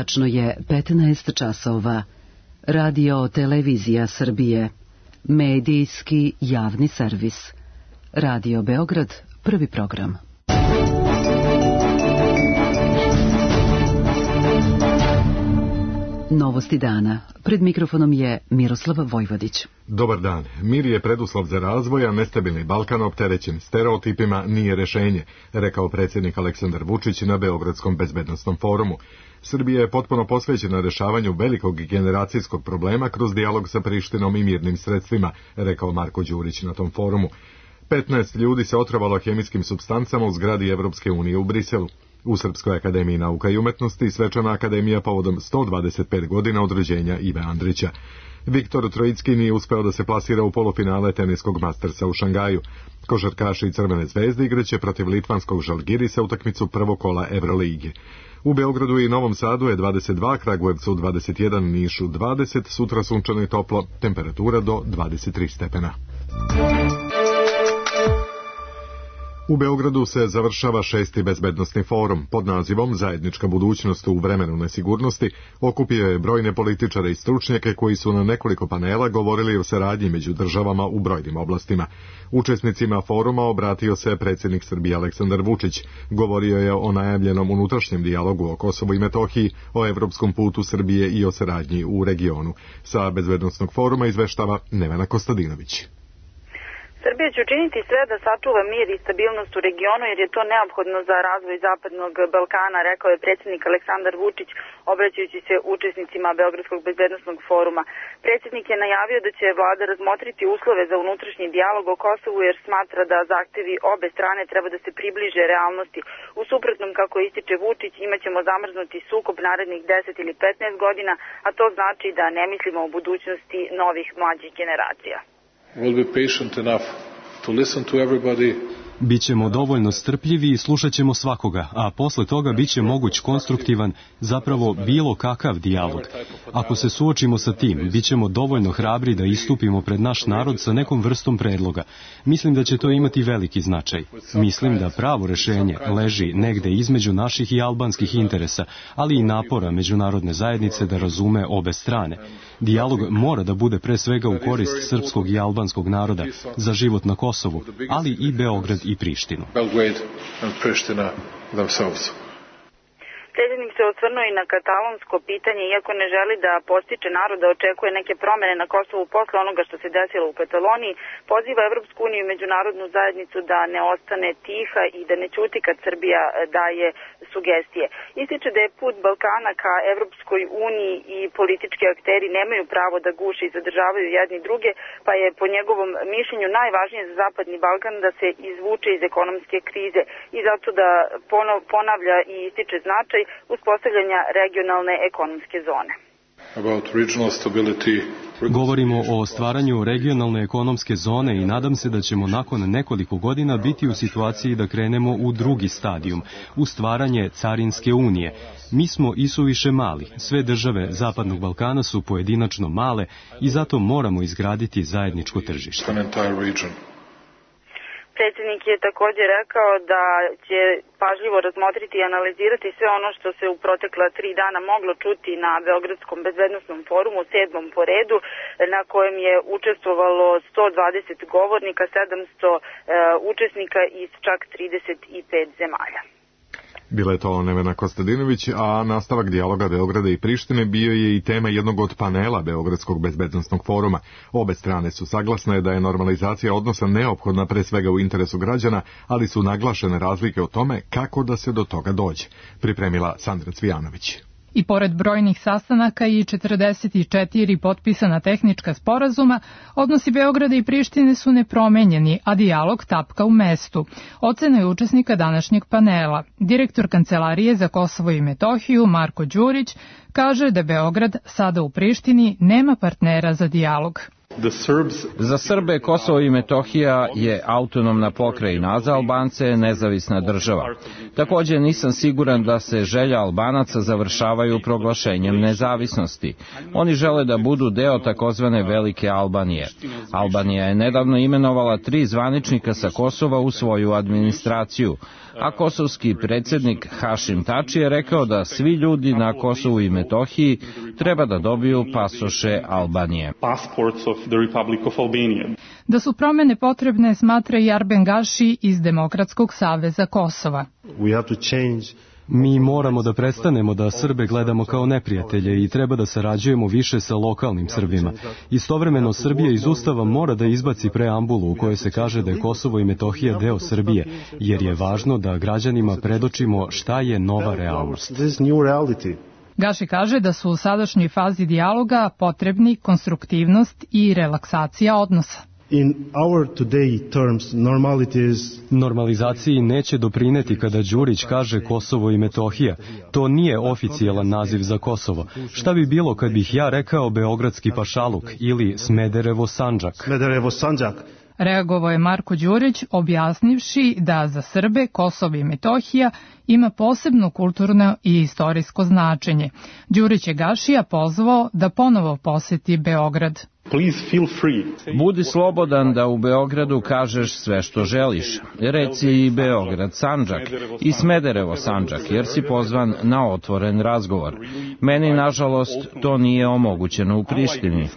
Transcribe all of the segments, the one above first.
Tačno je 15 časova. Radio Televizija Srbije. Medijski javni servis. Radio Beograd, prvi program. Novosti dana. Pred mikrofonom je Miroslav Vojvodić. Dobar dan. Mir je preduslov za razvoj, a nestabilni Balkan opterećen stereotipima nije rešenje, rekao predsjednik Aleksandar Vučić na Beogradskom bezbednosnom forumu. Srbija je potpuno posvećena rešavanju velikog generacijskog problema kroz dijalog sa Prištinom i mirnim sredstvima, rekao Marko Đurić na tom forumu. 15 ljudi se otrovalo hemijskim supstancama u zgradi Evropske unije u Briselu. U Srpskoj akademiji nauka i umetnosti svečana akademija povodom 125 godina od rođenja Ive Andrića. Viktor Trojicki nije uspeo da se plasira u polufinale teniskog Mastersa u Šangaju. Košarkaši Crvene zvezde igraće protiv litvanskog Žalgirisa utakmicu prvog kola Evrolige. U Beogradu i Novom Sadu je 22, Kragujevcu 21, Nišu 20, sutra sunčano i toplo, temperatura do 23 stepena. U Beogradu se završava 6. bezbednosni forum pod nazivom Zajednička budućnost u vremenu nesigurnosti. Okupio je brojne političare i stručnjake koji su na nekoliko panela govorili o saradnji među državama u brojnim oblastima. Učesnicima foruma obratio se predsjednik Srbije Aleksandar Vučić. Govorio je o najavljenom unutrašnjem dijalogu o Kosovu i Metohiji, o evropskom putu Srbije i o saradnji u regionu. Sa bezbednosnog foruma izveštava Nevena Kostadinović. Srbija će učiniti sve da sačuva mir i stabilnost u regionu jer je to neophodno za razvoj Zapadnog Balkana, rekao je predsjednik Aleksandar Vučić obraćajući se učesnicima Beogradskog bezbednosnog foruma. Predsjednik je najavio da će vlada razmotriti uslove za unutrašnji dijalog o Kosovu jer smatra da zahtevi obe strane treba da se približe realnosti. U suprotnom, kako ističe Vučić, imaćemo zamrznuti sukob narednih 10 ili 15 godina, a to znači da ne mislimo o budućnosti novih mlađih generacija. We'll be patient enough to listen to everybody. Bićemo dovoljno strpljivi i slušat ćemo svakoga, a posle toga biće moguć konstruktivan, zapravo bilo kakav dijalog. Ako se suočimo sa tim, bićemo dovoljno hrabri da istupimo pred naš narod sa nekom vrstom predloga. Mislim da će to imati veliki značaj. Mislim da pravo rešenje leži negde između naših i albanskih interesa, ali i napora međunarodne zajednice da razume obe strane. Dijalog mora da bude pre svega u korist srpskog i albanskog naroda, za život na Kosovu, ali i Beograd i Prištinu. Predsjednik se osvrnuo i na katalonsko pitanje, iako ne želi da podstiče narod da očekuje neke promene na Kosovu posle onoga što se desilo u Kataloniji, poziva Evropsku uniju i međunarodnu zajednicu da ne ostane tiha i da ne ćuti kad Srbija daje sugestije. Ističe da je put Balkana ka Evropskoj uniji i politički akteri nemaju pravo da guše i zadržavaju jedni druge, pa je po njegovom mišljenju najvažnije za Zapadni Balkan da se izvuče iz ekonomske krize i zato da ponavlja i ističe značaj uspostavljanja regionalne ekonomske zone. Govorimo o stvaranju regionalne ekonomske zone i nadam se da ćemo nakon nekoliko godina biti u situaciji da krenemo u drugi stadijum, u stvaranje carinske unije. Mi smo isuviše mali, sve države Zapadnog Balkana su pojedinačno male i zato moramo izgraditi zajedničko tržište. Predsjednik je također rekao da će pažljivo razmotriti i analizirati sve ono što se u protekla 3 dana moglo čuti na Beogradskom bezbednosnom forumu, 7. po redu, na kojem je učestvovalo 120 govornika, 700 učesnika iz čak 35 zemalja. Bila je to Nevena Kostadinović, a nastavak dijaloga Beograda i Prištine bio je i tema jednog od panela Beogradskog bezbednosnog foruma. Obe strane su saglasne da je normalizacija odnosa neophodna pre svega u interesu građana, ali su naglašene razlike o tome kako da se do toga dođe. Pripremila Sandra Cvijanović. I pored brojnih sastanaka i 44 potpisana tehnička sporazuma, odnosi Beograda i Prištine su nepromenjeni, a dijalog tapka u mestu. Ocena je učesnika današnjeg panela. Direktor Kancelarije za Kosovo i Metohiju, Marko Đurić, kaže da Beograd sada u Prištini nema partnera za dijalog. Za Srbe Kosovo i Metohija je autonomna pokrajina, a za Albance je nezavisna država. Također nisam siguran da se želja Albanaca završavaju proglašenjem nezavisnosti. Oni žele da budu deo takozvane Velike Albanije. Albanija je nedavno imenovala 3 zvaničnika sa Kosova u svoju administraciju, a kosovski predsjednik Hašim Tači je rekao da svi ljudi na Kosovu i Metohiji treba da dobiju pasoše Albanije. Da su promjene potrebne, smatra i Arben Gaši iz Demokratskog saveza Kosova. Mi moramo da prestanemo da Srbe gledamo kao neprijatelje i treba da sarađujemo više sa lokalnim Srbima. Istovremeno Srbija iz Ustava mora da izbaci preambulu u kojoj se kaže da je Kosovo i Metohija deo Srbije, jer je važno da građanima predočimo šta je nova realnost. Gaši kaže da su u sadašnjoj fazi dijaloga potrebni konstruktivnost i relaksacija odnosa. Normalizaciji neće doprineti kada Đurić kaže Kosovo i Metohija. To nije oficijalan naziv za Kosovo. Šta bi bilo kad bih ja rekao Beogradski pašaluk ili Smederevo Sandžak? Reagovao je Marko Đurić objasnivši da za Srbe Kosovo i Metohija ima posebno kulturno i istorijsko značenje. Đurić je Gašija pozvao da ponovo poseti Beograd. Budi slobodan da u Beogradu kažeš sve što želiš. Reci i Beograd Sandžak i Smederevo Sandžak, jer si pozvan na otvoren razgovor. Meni, nažalost, to nije omogućeno u Prištini.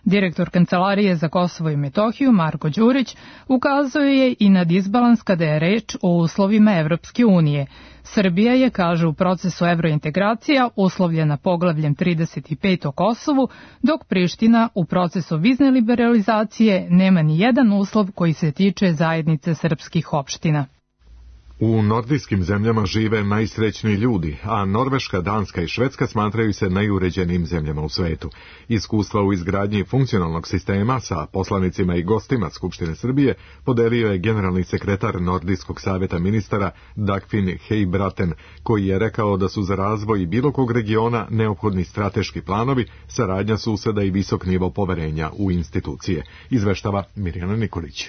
Direktor Kancelarije za Kosovo i Metohiju Marko Đurić ukazuje je i na disbalans kada je reč o uslovima Evropske unije. Srbija je, kaže, u procesu evrointegracija uslovljena poglavljem 35 o Kosovu, dok Priština u procesu vizne liberalizacije nema ni jedan uslov koji se tiče zajednice srpskih opština. U nordijskim zemljama žive najsrećniji ljudi, a Norveška, Danska i Švedska smatraju se najuređenijim zemljama u svetu. Iskustva u izgradnji funkcionalnog sistema sa poslanicima i gostima Skupštine Srbije podelio je generalni sekretar Nordijskog savjeta ministara Dagfinn Høybråten, koji je rekao da su za razvoj bilo kog regiona neophodni strateški planovi, saradnja suseda i visok nivo poverenja u institucije. Izveštava Mirjana Nikolić.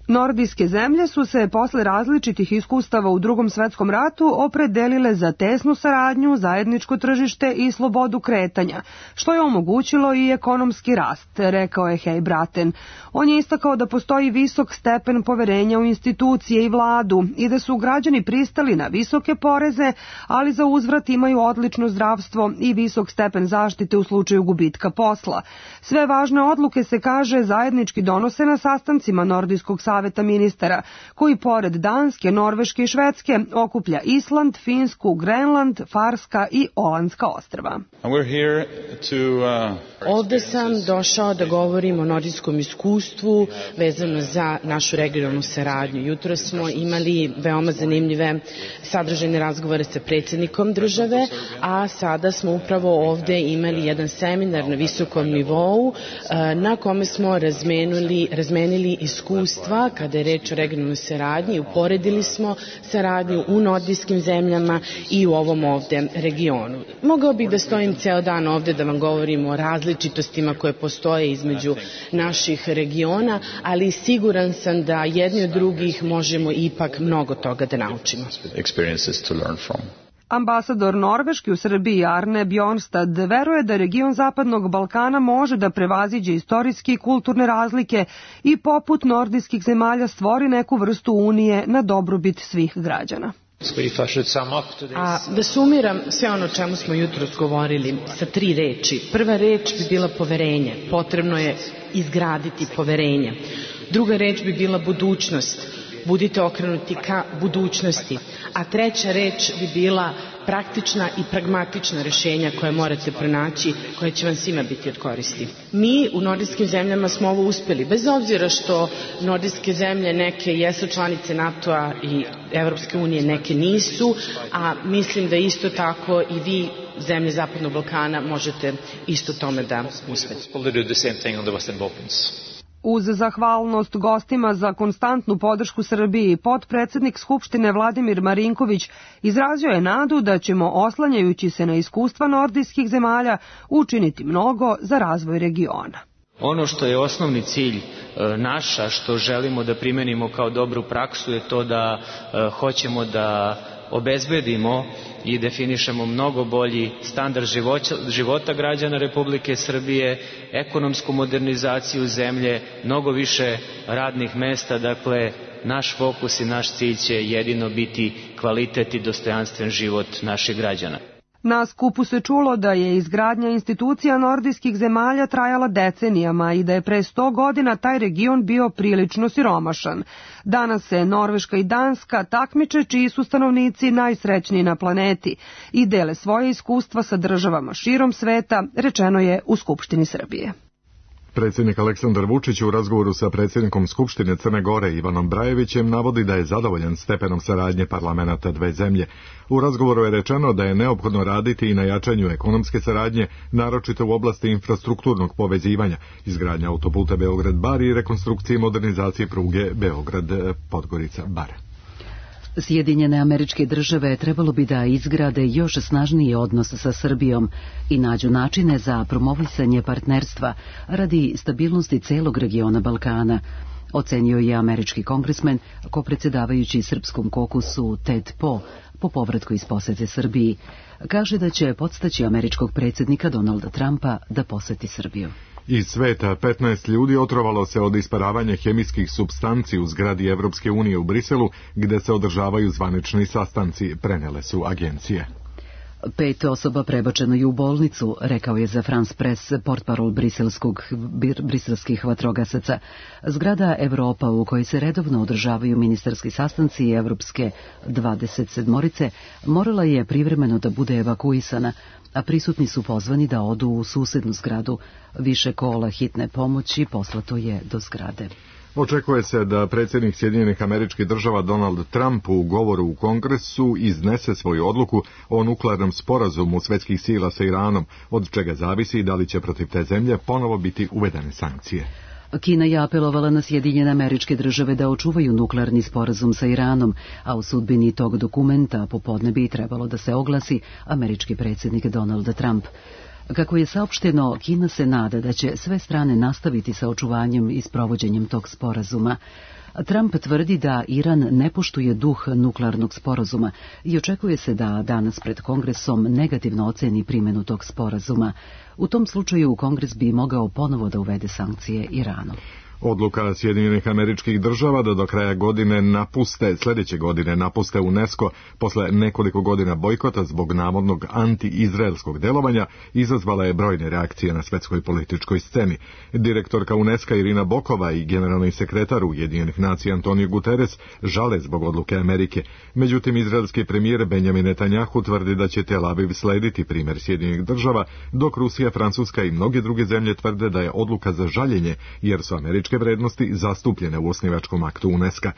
Nordijske zemlje su se posle različitih iskustava u Drugom svetskom ratu opredelile za tesnu saradnju, zajedničko tržište i slobodu kretanja, što je omogućilo i ekonomski rast, rekao je Høybråten. On je istakao da postoji visok stepen poverenja u institucije i vladu i da su građani pristali na visoke poreze, ali za uzvrat imaju odlično zdravstvo i visok stepen zaštite u slučaju gubitka posla. Sve važne odluke, se kaže, zajednički donose na sastancima Nordijskog saveta ministara, koji pored Danske, Norveške i Švedske okuplja Island, Finsku, Grenland, Farska i Olandska ostrva. Ovde sam došao da govorim o nordijskom iskustvu vezano za našu regionalnu saradnju. Jutro smo imali veoma zanimljive sadržajne razgovore sa predsjednikom države, a sada smo upravo ovde imali jedan seminar na visokom nivou na kome smo razmenili iskustva kada je reč o regionalnoj saradnji, uporedili smo saradnju u nordijskim zemljama i u ovom ovde regionu. Mogao bih da stojim ceo dan ovde da vam govorim o različitostima koje postoje između naših regiona, ali siguran sam da jedni od drugih možemo ipak mnogo toga da naučimo. Ambasador Norveške u Srbiji Arne Bjornstad veruje da region Zapadnog Balkana može da prevaziđe istorijske i kulturne razlike i poput nordijskih zemalja stvori neku vrstu unije na dobrobit svih građana. A da sumiram sve ono o čemu smo jutros govorili sa 3 reči. Prva reč bi bila poverenje. Potrebno je izgraditi poverenje. Druga reč bi bila budućnost. Budite okrenuti ka budućnosti. A treća reč bi bila praktična i pragmatična rješenja koje morate pronaći, koje će vam svima biti od koristi. Mi u nordijskim zemljama smo ovo uspjeli, bez obzira što nordijske zemlje neke jesu članice NATO-a i Evropske unije, neke nisu, a mislim da isto tako i vi, zemlje Zapadnog Balkana, možete isto tome da uspete. Uz zahvalnost gostima za konstantnu podršku Srbiji, potpredsednik Skupštine Vladimir Marinković izrazio je nadu da ćemo, oslanjajući se na iskustva nordijskih zemalja, učiniti mnogo za razvoj regiona. Ono što je osnovni cilj naša, što želimo da primenimo kao dobru praksu, je to da hoćemo da obezbedimo i definišemo mnogo bolji standard života građana Republike Srbije, ekonomsku modernizaciju zemlje, mnogo više radnih mesta. Dakle, naš fokus i naš cilj će jedino biti kvalitet i dostojanstven život naših građana. Na skupu se čulo da je izgradnja institucija nordijskih zemalja trajala decenijama i da je pre 100 godina taj region bio prilično siromašan. Danas se Norveška i Danska takmiče čiji su stanovnici najsrećniji na planeti i dele svoje iskustva sa državama širom sveta, rečeno je u Skupštini Srbije. Predsjednik Aleksandar Vučić u razgovoru sa predsjednikom Skupštine Crne Gore Ivanom Brajevićem navodi da je zadovoljan stepenom saradnje parlamenata dve zemlje. U razgovoru je rečeno da je neophodno raditi i na jačanju ekonomske saradnje, naročito u oblasti infrastrukturnog povezivanja, izgradnja autoputa Beograd-Bar i rekonstrukcije i modernizacije pruge Beograd-Podgorica-Bar. Sjedinjene Američke Države trebalo bi da izgrade još snažniji odnos sa Srbijom i nađu načine za promovisanje partnerstva radi stabilnosti celog regiona Balkana, ocenio je američki kongresmen, kopredsjedavajući srpskom kokusu Ted Poe po povratku iz posete Srbiji. Kaže da će podstaći američkog predsjednika Donalda Trumpa da poseti Srbiju. Iz sveta 15 ljudi otrovalo se od isparavanja hemijskih supstanci u zgradi Evropske unije u Briselu, gde se održavaju zvanični sastanci, prenele su agencije. 5 osoba prebačeno je u bolnicu, rekao je za France Press portparol briselskih vatrogasaca. Zgrada Evropa, u kojoj se redovno održavaju ministarski sastanci Evropske 27-orice, morala je privremeno da bude evakuisana, a prisutni su pozvani da odu u susednu zgradu. Više kola hitne pomoći poslato je do zgrade. Očekuje se da predsjednik Sjedinjenih Američkih Država Donald Trump u govoru u Kongresu iznese svoju odluku o nuklearnom sporazumu svetskih sila sa Iranom, od čega zavisi da li će protiv te zemlje ponovo biti uvedene sankcije. Kina je apelovala na Sjedinjene Američke Države da očuvaju nuklearni sporazum sa Iranom, a u sudbini tog dokumenta popodne bi trebalo da se oglasi američki predsjednik Donald Trump. Kako je saopšteno, Kina se nada da će sve strane nastaviti sa očuvanjem i sprovođenjem tog sporazuma. Trump tvrdi da Iran ne poštuje duh nuklearnog sporazuma i očekuje se da danas pred Kongresom negativno oceni primjenu tog sporazuma. U tom slučaju Kongres bi mogao ponovo da uvede sankcije Iranu. Odluka Sjedinjenih Američkih Država da do kraja sljedeće godine napuste UNESCO posle nekoliko godina bojkota zbog navodnog anti-izraelskog delovanja izazvala je brojne reakcije na svetskoj političkoj sceni. Direktorka UNESCO Irina Bokova i generalni sekretar Ujedinjenih nacija Antonio Guterres žale zbog odluke Amerike. Međutim, izraelski premijer Benjamin Netanjahu tvrdi da će Tel Aviv slediti primjer Sjedinjenih Država, dok Rusija, Francuska i mnoge druge zemlje tvrde da je odluka za žaljenje, jer su američke vrednosti zastupljene u osnivačkom aktu UNESCO.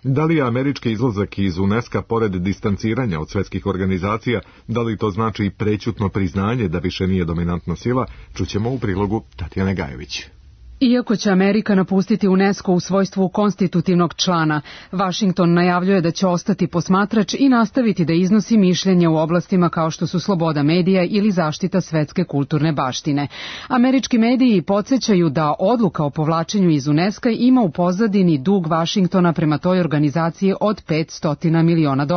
Da li je američki izlazak iz UNESCO pored distanciranja od svetskih organizacija, da li to znači prećutno priznanje da više nije dominantna sila, čućemo u prilogu Tatjane Gajović. Iako će Amerika napustiti UNESCO u svojstvu konstitutivnog člana, Vašington najavljuje da će ostati posmatrač i nastaviti da iznosi mišljenje u oblastima kao što su sloboda medija ili zaštita svetske kulturne baštine. Američki mediji podsjećaju da odluka o povlačenju iz UNESCO ima u pozadini dug Vašingtona prema toj organizaciji od $500 miliona,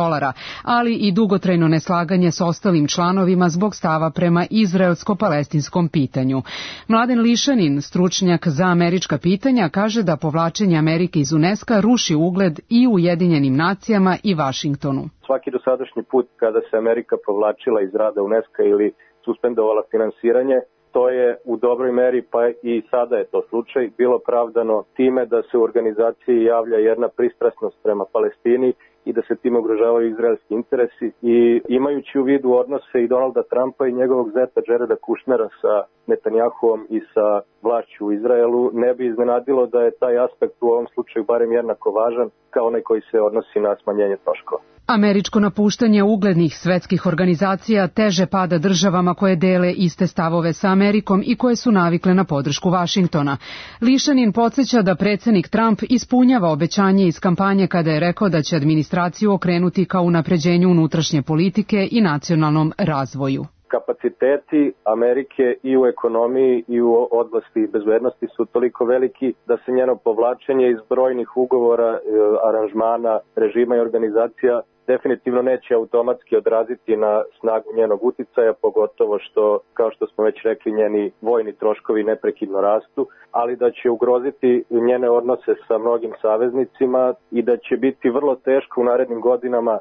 ali i dugotrajno neslaganje s ostalim članovima zbog stava prema izraelsko-palestinskom pitanju. Mladen Lišanin, stručnjak za američka pitanja, kaže da povlačenje Amerike iz UNESCO ruši ugled i Ujedinjenim nacijama i Vašingtonu. Svaki dosadašnji put kada se Amerika povlačila iz rada UNESCO ili suspendovala finansiranje, to je u dobroj meri, pa i sada je to slučaj, bilo pravdano time da se u organizaciji javlja jedna pristrasnost prema Palestini i da se tim ugrožavaju izraelski interesi. I imajući u vidu odnose i Donalda Trumpa i njegovog zeta Jareda Kushnera sa Netanjahuom i sa vlašću u Izraelu, ne bi iznenadilo da je taj aspekt u ovom slučaju barem jednako važan kao onaj koji se odnosi na smanjenje troškova. Američko napuštanje uglednih svetskih organizacija teže pada državama koje dele iste stavove sa Amerikom i koje su navikle na podršku Vašingtona. Lišanin podsjeća da predsjednik Trump ispunjava obećanje iz kampanje kada je rekao da će administraciju okrenuti ka unapređenju unutrašnje politike i nacionalnom razvoju. kapaciteti Amerike i u ekonomiji i u oblasti bezbednosti su toliko veliki da se njeno povlačenje iz brojnih ugovora, aranžmana, režima i organizacija definitivno neće automatski odraziti na snagu njenog uticaja, pogotovo što, kao što smo već rekli, njeni vojni troškovi neprekidno rastu, ali da će ugroziti njene odnose sa mnogim saveznicima i da će biti vrlo teško u narednim godinama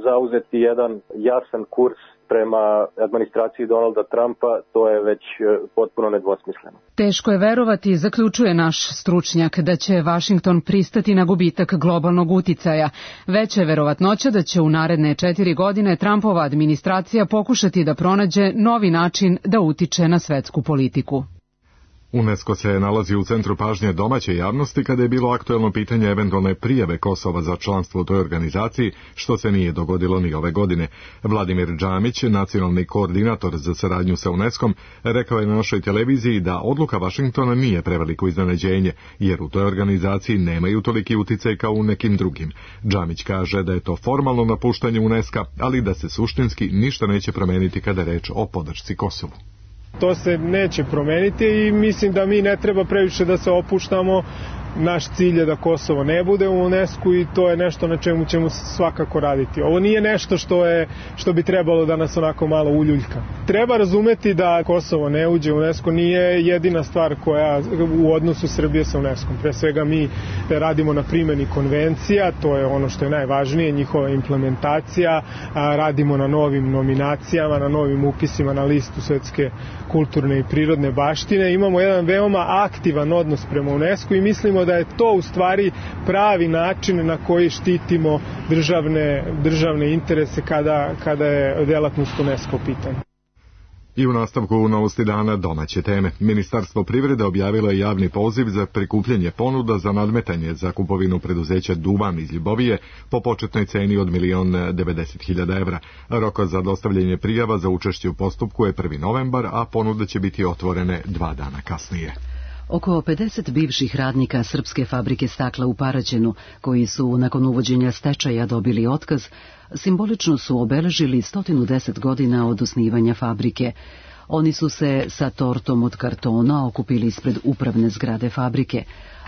zauzeti jedan jasan kurs prema administraciji Donalda Trumpa, to je već potpuno nedvosmisleno. Teško je verovati, zaključuje naš stručnjak, da će Vašington pristati na gubitak globalnog uticaja. Veća je verovatnoća da će u naredne 4 godine Trumpova administracija pokušati da pronađe novi način da utiče na svetsku politiku. UNESCO se nalazi u centru pažnje domaće javnosti kada je bilo aktuelno pitanje eventualne prijave Kosova za članstvo u toj organizaciji, što se nije dogodilo ni ove godine. Vladimir Džamić, nacionalni koordinator za saradnju sa UNESCO-om, rekao je na našoj televiziji da odluka Vašingtona nije preveliko iznenađenje, jer u toj organizaciji nemaju toliki uticaj kao u nekim drugim. Džamić kaže da je to formalno napuštanje UNESCO-a, ali da se suštinski ništa neće promeniti kada je reč o podršci Kosovu. To se neće promeniti i mislim da mi ne treba previše da se opuštamo. Naš cilj je da Kosovo ne bude u UNESCO i to je nešto na čemu ćemo svakako raditi. Ovo nije nešto što bi trebalo da nas onako malo uljuljka. Treba razumeti da Kosovo ne uđe u UNESCO nije jedina stvar koja u odnosu Srbije sa UNESCO. Pre svega mi radimo na primjeni konvencija, to je ono što je najvažnije, njihova implementacija, radimo na novim nominacijama, na novim upisima na listu svetske kulturne i prirodne baštine. Imamo jedan veoma aktivan odnos prema UNESCO i mislimo da je to u stvari pravi način na koji štitimo državne interese kada je delatnost UNESCO pitanje. I u nastavku novosti dana domaće teme. Ministarstvo privrede objavilo je javni poziv za prikupljanje ponuda za nadmetanje za kupovinu preduzeća Duvan iz Ljubovije po početnoj ceni od 1.090.000 evra. Rok za dostavljanje prijava za učešće u postupku je 1. novembar, a ponude će biti otvorene 2 dana kasnije. Oko 50 bivših radnika srpske fabrike stakla u Paraćinu, koji su nakon uvođenja stečaja dobili otkaz, simbolično su obeležili 110 godina od osnivanja fabrike. Oni su se sa tortom od kartona okupili ispred upravne zgrade fabrike.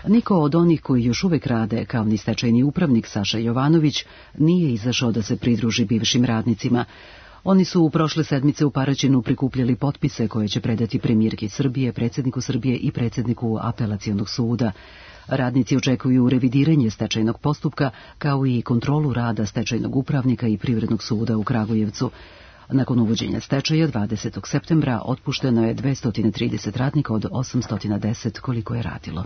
Niko od onih koji još uvek rade, kao ni stečajni upravnik Saša Jovanović, nije izašao da se pridruži bivšim radnicima. Oni su u prošle sedmice u Paraćinu prikupljali potpise koje će predati premijerki Srbije, predsjedniku Srbije i predsjedniku apelacionog suda. Radnici očekuju revidiranje stečajnog postupka, kao i kontrolu rada stečajnog upravnika i privrednog suda u Kragujevcu. Nakon uvođenja stečaja 20. septembra otpušteno je 230 radnika od 810 koliko je radilo.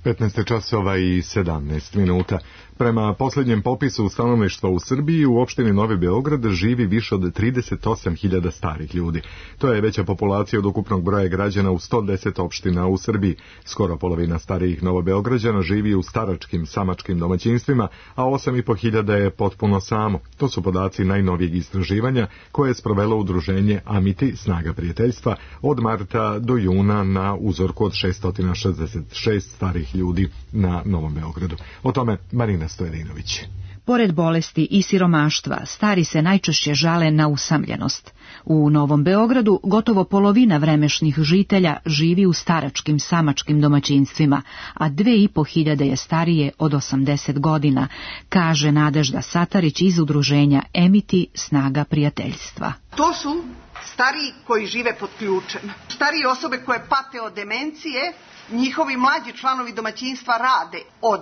15 časova i 17 minuta. Prema posljednjem popisu stanovništva u Srbiji, u opštini Novi Beograd živi više od 38.000 starih ljudi. To je veća populacija od ukupnog broja građana u 110 opština u Srbiji. Skoro polovina starijih Novobeograđana živi u staračkim, samačkim domaćinstvima, a 8.500 je potpuno samo. To su podaci najnovijeg istraživanja koje je sprovelo udruženje Amiti, Snaga prijateljstva, od marta do juna na uzorku od 666 starih ljudi na Novom Beogradu. O tome Marina Stojedinović. Pored bolesti i siromaštva, stari se najčešće žale na usamljenost. U Novom Beogradu gotovo polovina vremešnih žitelja živi u staračkim, samačkim domaćinstvima, a 2.500 je starije od 80 godina, kaže Nadežda Satarić iz udruženja Emiti, Snaga prijateljstva. To su stariji koji žive pod ključem. Starije osobe koje pate od demencije, njihovi mlađi članovi domaćinstva rade od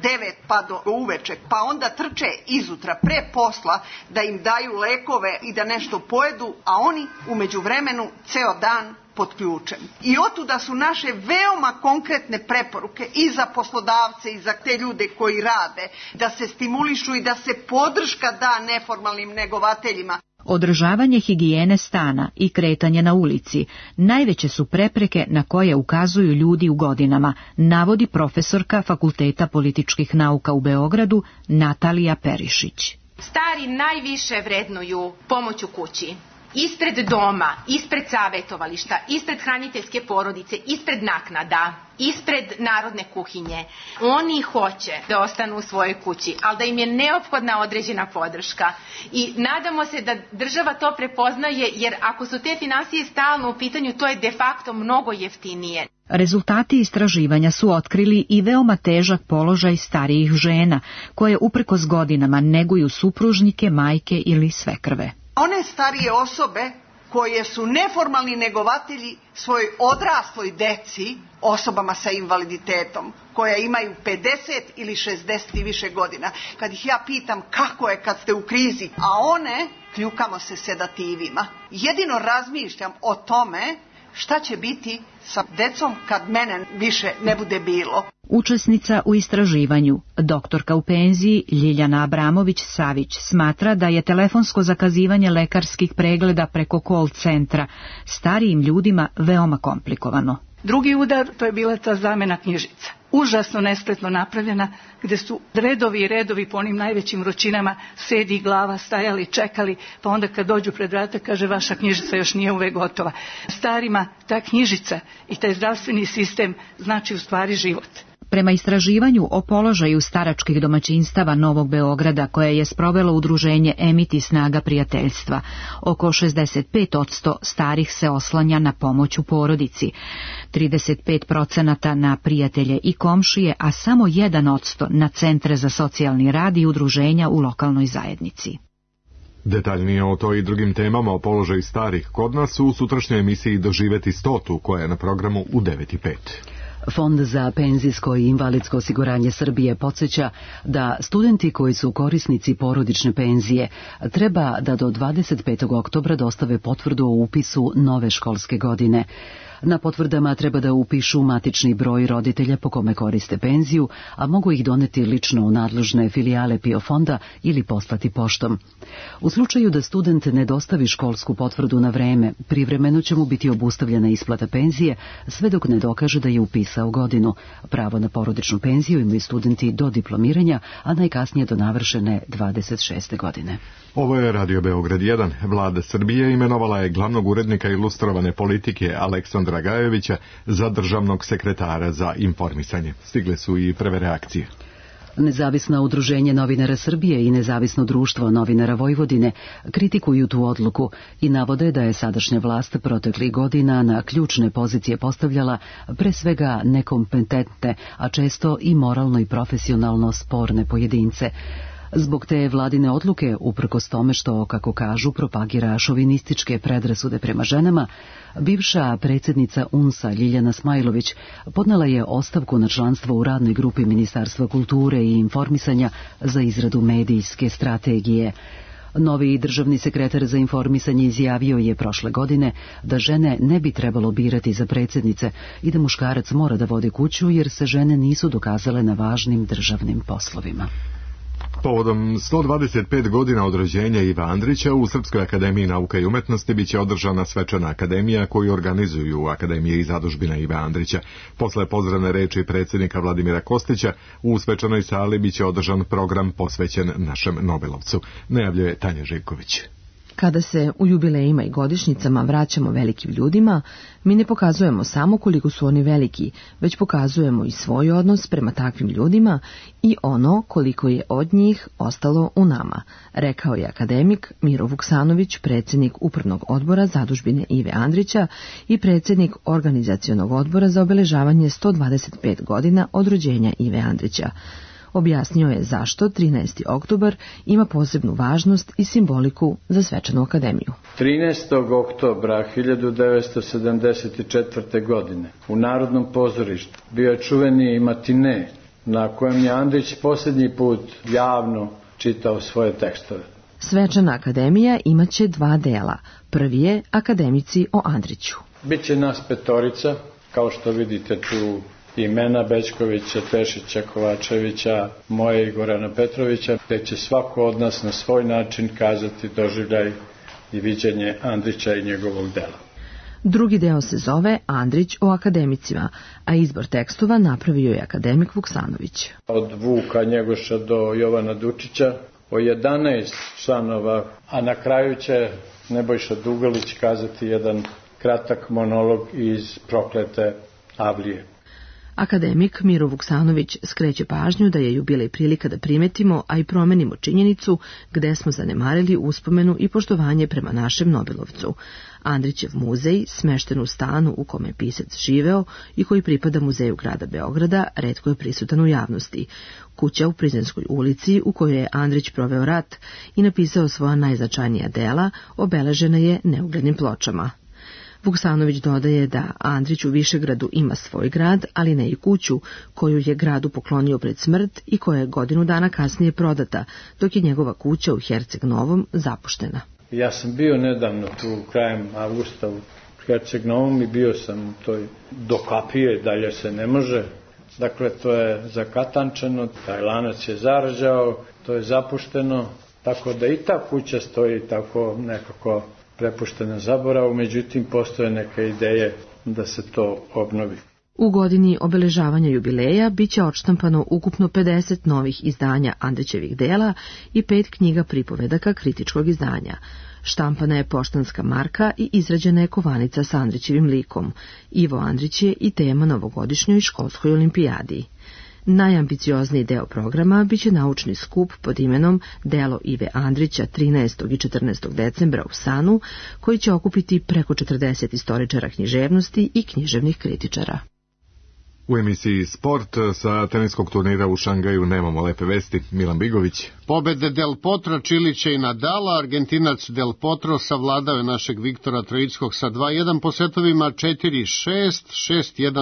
9 pa do uveče, pa onda trče izutra pre posla da im daju lekove i da nešto pojedu, a oni u međuvremenu ceo dan pod ključem. I otuda su naše veoma konkretne preporuke i za poslodavce i za te ljude koji rade, da se stimulišu i da se podrška da neformalnim negovateljima. Održavanje higijene stana i kretanje na ulici najveće su prepreke na koje ukazuju ljudi u godinama, navodi profesorka Fakulteta političkih nauka u Beogradu Natalija Perišić. Stari najviše vrednuju pomoć u kući. ispred doma, ispred savjetovališta, ispred hraniteljske porodice, ispred naknada, ispred narodne kuhinje. Oni hoće da ostanu u svojoj kući, ali da im je neophodna određena podrška. I nadamo se da država to prepoznaje, jer ako su te finansije stalno u pitanju, to je de facto mnogo jeftinije. Rezultati istraživanja su otkrili i veoma težak položaj starijih žena, koje uprkos godinama neguju supružnike, majke ili svekrve. One starije osobe koje su neformalni negovatelji svojoj odrasloj deci, osobama sa invaliditetom, koja imaju 50 ili 60 i više godina. Kad ih ja pitam kako je kad ste u krizi, a one kljukamo se sedativima. Jedino razmišljam o tome šta će biti sa decom kad mene više ne bude bilo. Učesnica u istraživanju, doktorka u penziji Ljiljana Abramović-Savić, smatra da je telefonsko zakazivanje lekarskih pregleda preko call centra starijim ljudima veoma komplikovano. Drugi udar, to je bila ta zamena knjižica. Užasno nespretno napravljena, gde su redovi i redovi po onim najvećim vrućinama, sedi i glava, stajali, čekali, pa onda kad dođu pred vrata kaže vaša knjižica još nije uvek gotova. Starima ta knjižica i taj zdravstveni sistem znači u stvari život. Prema istraživanju o položaju staračkih domaćinstava Novog Beograda, koje je sprovelo udruženje Emiti snaga prijateljstva, oko 65% starih se oslanja na pomoć u porodici, 35% na prijatelje i komšije, a samo 1% na centre za socijalni rad i udruženja u lokalnoj zajednici. Detaljnije o to i drugim temama o položaju starih kod nas u sutrašnjoj emisiji Doživeti 100, koja je na programu u 9:05. Fond za penzijsko i invalidsko osiguranje Srbije podsjeća da studenti koji su korisnici porodične penzije treba da do 25. oktobra dostave potvrdu o upisu nove školske godine. Na potvrdama treba da upišu matični broj roditelja po kome koriste penziju, a mogu ih doneti lično u nadležne filijale PIO fonda ili poslati poštom. U slučaju da student ne dostavi školsku potvrdu na vreme, privremeno će mu biti obustavljena isplata penzije sve dok ne dokaže da je upisao godinu. Pravo na porodičnu penziju imaju studenti do diplomiranja, a najkasnije do navršene 26. godine. Ovo je Radio Beograd 1. Vlada Srbije imenovala je glavnog urednika ilustrovane politike Aleksandra Gajevića za državnog sekretara za informisanje. Stigle su i prve reakcije. Nezavisno udruženje novinara Srbije i Nezavisno društvo novinara Vojvodine kritikuju tu odluku i navode da je sadašnja vlast proteklih godina na ključne pozicije postavljala pre svega nekompetentne, a često i moralno i profesionalno sporne pojedince. Zbog te vladine odluke, uprkos tome što, kako kažu, propagira šovinističke predrasude prema ženama, bivša predsjednica UNS-a Ljiljana Smajlović podnela je ostavku na članstvo u radnoj grupi Ministarstva kulture i informisanja za izradu medijske strategije. Novi državni sekretar za informisanje izjavio je prošle godine da žene ne bi trebalo birati za predsjednice i da muškarac mora da vodi kuću jer se žene nisu dokazale na važnim državnim poslovima. Povodom 125 godina od rođenja Ive Andrića u Srpskoj akademiji nauka i umetnosti biće održana svečana akademija koju organizuju Akademije i zadužbina Ive Andrića. Posle pozdravne reči predsjednika Vladimira Kostića u svečanoj sali biće održan program posvećen našem Nobelovcu, najavljuje Tanja Živković. Kada se u jubilejima i godišnjicama vraćamo velikim ljudima, mi ne pokazujemo samo koliko su oni veliki, već pokazujemo i svoj odnos prema takvim ljudima i ono koliko je od njih ostalo u nama, rekao je akademik Miro Vuksanović, predsjednik Upravnog odbora zadužbine Ive Andrića i predsjednik Organizacionog odbora za obeležavanje 125 godina od rođenja Ive Andrića. Objasnio je zašto 13. oktobar ima posebnu važnost i simboliku za svečanu akademiju. 13. oktobra 1974. godine u Narodnom pozorištu bio je čuveni matine na kojem je Andrić posljednji put javno čitao svoje tekstove. Svečana akademija imaće 2 dela. Prvi je akademici o Andriću. Biće nas 5, kao što vidite tu imena Bećkovića, Tešića, Kovačevića, moje i Gorana Petrovića, gde će svako od nas na svoj način kazati doživljaj i viđenje Andrića i njegovog dela. Drugi deo se zove Andrić o akademicima, a izbor tekstova napravio je akademik Vuksanović. Od Vuka Njegoša do Jovana Dučića, o 11 članova, a na kraju će Nebojša Dugalić kazati jedan kratak monolog iz Proklete avlije. Akademik Miro Vuksanović skreće pažnju da je jubilej prilika da primetimo, a i promenimo činjenicu gde smo zanemarili uspomenu i poštovanje prema našem Nobelovcu. Andrićev muzej, smešten u stanu u kome je pisac živeo i koji pripada muzeju grada Beograda, retko je prisutan u javnosti. Kuća u Prizrenskoj ulici, u kojoj je Andrić proveo rat i napisao svoja najznačajnija dela, obeležena je neuglednim pločama. Vuksanović dodaje da Andrić u Višegradu ima svoj grad, ali ne i kuću koju je gradu poklonio pred smrt i koja je godinu dana kasnije prodata, dok je njegova kuća u Herceg Novom zapuštena. Ja sam bio nedavno tu krajem avgusta u Herceg Novom i bio sam u toj do kapije, dalje se ne može. Dakle, to je zakatančeno, taj lanac je zarađao, to je zapušteno, tako da i ta kuća stoji tako nekako prepuštena zaboravu, međutim postoje neke ideje da se to obnovi. U godini obeležavanja jubileja biće odštampano ukupno 50 novih izdanja Andrićevih dela i 5 knjiga pripovedaka kritičkog izdanja. Štampana je poštanska marka i izrađena je kovanica sa Andrićevim likom. Ivo Andrić je i tema novogodišnjoj školskoj olimpijadi. Najambiciozniji deo programa biće naučni skup pod imenom Delo Ive Andrića 13. i 14. decembra u Sanu, koji će okupiti preko 40 istoričara književnosti i književnih kritičara. U emisiji Sport sa teniskog turnira u Šangaju nemamo lepe vesti. Milan Bigović. Pobede Del Potro, Čilića i Nadala. Argentinac Del Potro savladao je našeg Viktora Trojickog sa 2-1 po setovima 4-6, 6-1,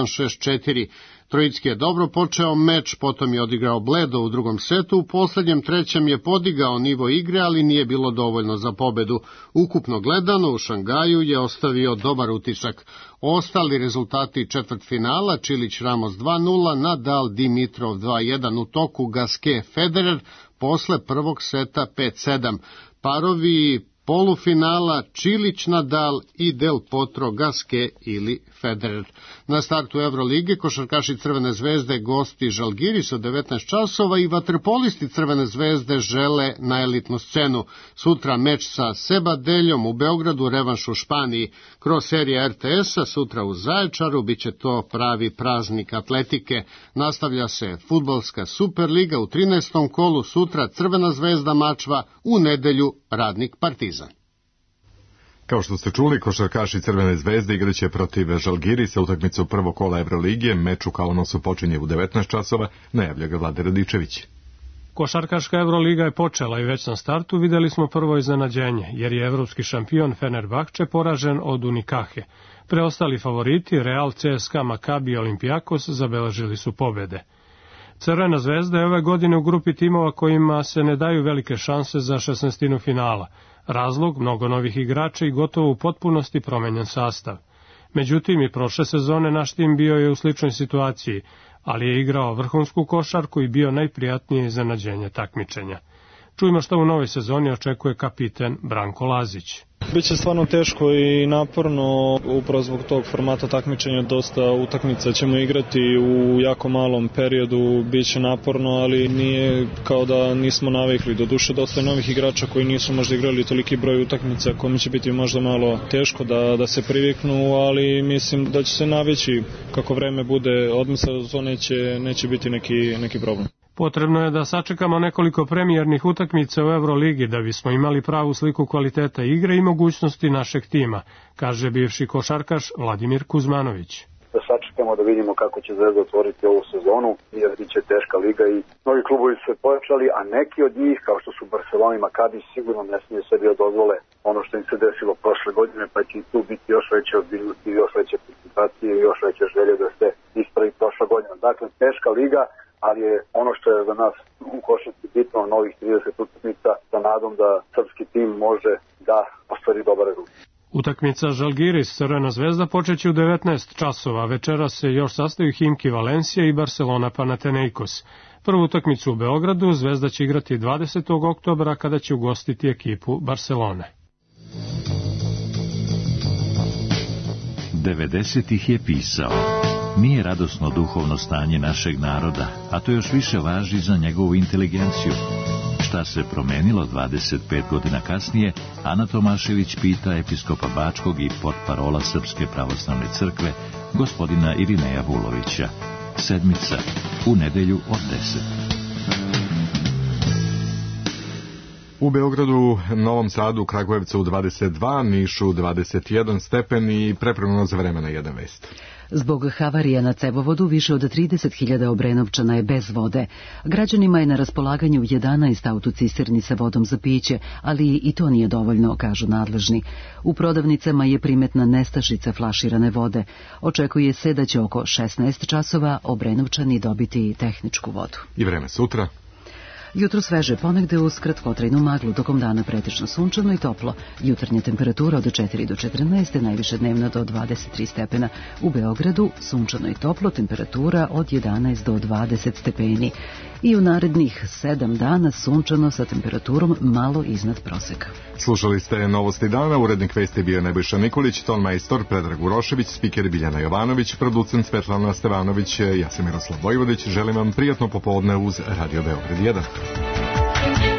6-4. Trojicki je dobro počeo meč, potom je odigrao bledo u drugom setu, u poslednjem trećem je podigao nivo igre, ali nije bilo dovoljno za pobedu. Ukupno gledano u Šangaju je ostavio dobar utisak. Ostali rezultati četvrtfinala: Čilić Ramos 2-0, Nadal Dimitrov 2-1 u toku, Gasquet Federer posle prvog seta 5-7. Parovi polufinala Čilić Nadal i Del Potro Gasquet ili Federer. Na startu Evrolige košarkaši Crvene zvezde gosti Žalgiris od 19 časova i vaterpolisti Crvene zvezde žele na elitnu scenu. Sutra meč sa Sebadeljom u Beogradu, revanš u Španiji. Kroz serija RTS-a sutra u Zaječaru biće to pravi praznik atletike. Nastavlja se fudbalska Superliga u 13. kolu, sutra Crvena zvezda Mačva, u nedelju Radnik Partizan. Kao što ste čuli, košarkaši Crvene zvezde igraće protiv Žalgirisa utakmicu prvog kola Evroligije. Meč u Kaunasu počinje u 19 časova, najavlja ga Vlade Radičević. Košarkaška Evroliga je počela i već na startu videli smo prvo iznenađenje, jer je evropski šampion Fenerbahče poražen od Unikahe. Preostali favoriti Real, CSKA, Makabi i Olimpijakos zabeležili su pobede. Crvena zvezda je ove godine u grupi timova kojima se ne daju velike šanse za 16. finala. Razlog, mnogo novih igrača i gotovo u potpunosti promenjen sastav. Međutim, i prošle sezone naš tim bio je u sličnoj situaciji, ali je igrao vrhunsku košarku i bio najprijatnije iznenađenje takmičenja. Čujmo što u novoj sezoni očekuje kapiten Branko Lazić. Biće stvarno teško i naporno, upravo zbog tog formata takmičenja, dosta utakmica ćemo igrati u jako malom periodu, biće naporno, ali nije kao da nismo navikli. Doduše, dosta je novih igrača koji nisu možda igrali toliki broj utakmica, kome će biti možda malo teško da se priviknu, ali mislim da će se navići kako vreme bude odmisla, to neće biti neki problem. Potrebno je da sačekamo nekoliko premijernih utakmica u Evroligi da bismo imali pravu sliku kvaliteta igre i mogućnosti našeg tima, kaže bivši košarkaš Vladimir Kuzmanović. Da sačekamo da vidimo kako će Zvezda otvoriti ovu sezonu, jer biće teška liga i mnogi klubovi su se pojačali, a neki od njih, kao što su Barcelona i Makabi, sigurno ne smije sebi dozvole ono što im se desilo prošle godine, pa će i tu biti još veće ozbiljnosti, još veće koncentracije i još veće želje da se ispravi prošla godina. Dakle, teška liga, ali je ono što je za nas u košarci bitno, novih 30 utakmica, sa nadom da srpski tim može da ostvari dobar rezultat. Utakmica Žalgiris Crvena zvezda počeće u 19 časova. Večera se još sastaju Himki Valencija i Barcelona Panathinaikos. Prvu utakmicu u Beogradu Zvezda će igrati 20. oktobra kada će ugostiti ekipu Barcelone. 90-ih je pisao: nije radosno duhovno stanje našeg naroda, a to još više važi za njegovu inteligenciju. Šta se promenilo 25 godina kasnije, Ana Tomašević pita episkopa Bačkog i portparola Srpske pravoslavne crkve, gospodina Irineja Vulovića. Sedmica, u nedelju od 10. U Beogradu, Novom Sadu, Kragujevcu 22, Nišu 21 stepen i preprognoza vremena 1 vest. Zbog havarija na cevovodu više od 30.000 Obrenovčana je bez vode. Građanima je na raspolaganju 11 autocisterni sa vodom za piće, ali i to nije dovoljno, kažu nadležni. U prodavnicama je primetna nestašica flaširane vode. Očekuje se da će oko 16 časova Obrenovčani dobiti tehničku vodu. I vreme sutra? Jutro sveže, ponegde uz kratkotrajnu maglu, tokom dana pretečno sunčano i toplo. Jutarnja temperatura od 4 do 14, najviše dnevna do 23 stepena. U Beogradu sunčano i toplo, temperatura od 11 do 20 stepeni. I u narednih 7 dana sunčano sa temperaturom malo iznad proseka. Slušali ste Novosti dana, urednik vesti bio Nebojša Nikolić, ton majstor Predrag Urošević, spiker Biljana Jovanović, producent Svetlana Stevanović, ja sam Miroslav Vojvodić, želim vam prijatno popodne uz Radio Beograd 1.